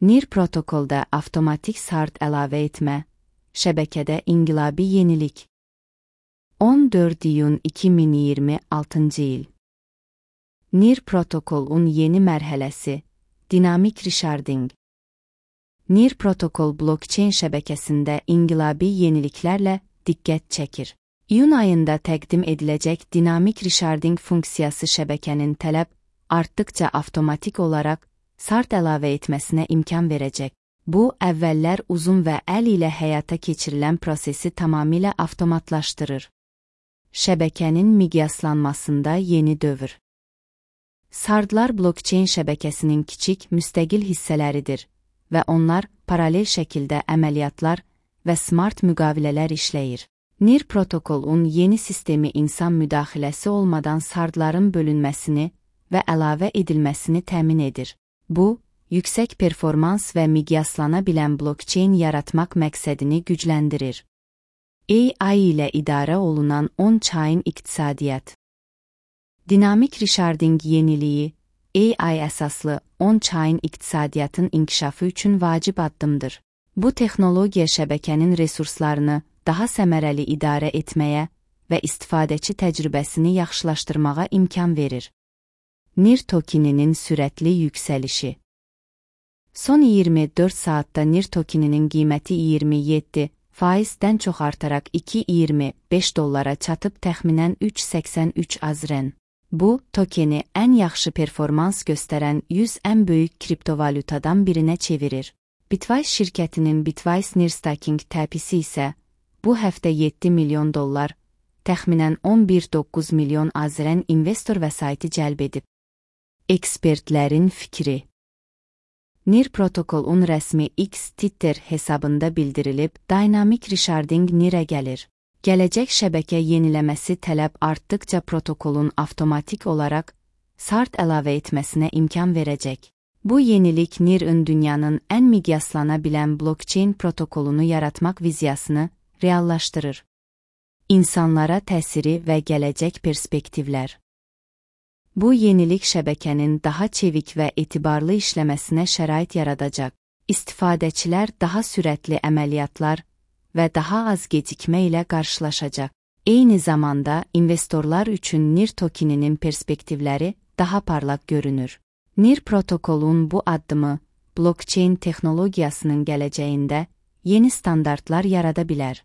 NIR protokolda avtomatik SART əlavə etmə, şəbəkədə inqilabi yenilik. 14 iyun 2026 il. NIR protokolun yeni mərhələsi, dinamik resharding. NIR protokol blokçeyn şəbəkəsində inqilabi yeniliklərlə diqqət çəkir. İyun ayında təqdim ediləcək dinamik resharding funksiyası şəbəkənin tələb artdıqca avtomatik olaraq SART əlavə etməsinə imkan verəcək. Bu, əvvəllər uzun və əl ilə həyata keçirilən prosesi tamamilə avtomatlaşdırır. Şəbəkənin miqyaslanmasında yeni dövr. SART-lar blokçeyn şəbəkəsinin kiçik müstəqil hissələridir və onlar paralel şəkildə əməliyyatlar və smart müqavilələr işləyir. NIR protokolun yeni sistemi insan müdaxiləsi olmadan SART-ların bölünməsini və əlavə edilməsini təmin edir. Bu, yüksək performans və miqyaslana bilən blokçeyn yaratmaq məqsədini gücləndirir. AI ilə idarə olunan on-chain iqtisadiyyat. Dinamik resharding yeniliyi, AI əsaslı on-chain iqtisadiyyatın inkişafı üçün vacib addımdır. Bu texnologiya şəbəkənin resurslarını daha səmərəli idarə etməyə və istifadəçi təcrübəsini yaxşılaşdırmağa imkan verir. NIR tokeninin sürətli yüksəlişi. Son 24 saatda NIR tokeninin qiyməti 27%-dən çox artaraq $2.25 çatıb təxminən 3.83 AZRN. Bu, tokeni ən yaxşı performans göstərən 100 ən böyük kriptovalyutadan birinə çevirir. Bitwise şirkətinin Bitwise NIR Staking təpisi isə bu həftə $7 milyon, təxminən 11,9 milyon AZRN investor vəsaiti cəlb edib. Ekspertlərin fikri. NIR protokolun rəsmi X Twitter hesabında bildirilib, Dynamic Resharding NIR-ə gəlir. Gələcək şəbəkə yeniləməsi tələb artdıqca protokolun avtomatik olaraq SART əlavə etməsinə imkan verəcək. Bu yenilik NIR-ın dünyanın ən miqyaslana bilən blokçeyn protokolunu yaratmaq viziyasını reallaşdırır. İnsanlara təsiri və gələcək perspektivlər. Bu yenilik şəbəkənin daha çevik və etibarlı işləməsinə şərait yaradacaq. İstifadəçilər daha sürətli əməliyyatlar və daha az gecikmə ilə qarşılaşacaq. Eyni zamanda investorlar üçün NIR tokeninin perspektivləri daha parlaq görünür. NIR protokolun bu addımı, blokçeyn texnologiyasının gələcəyində yeni standartlar yarada bilər.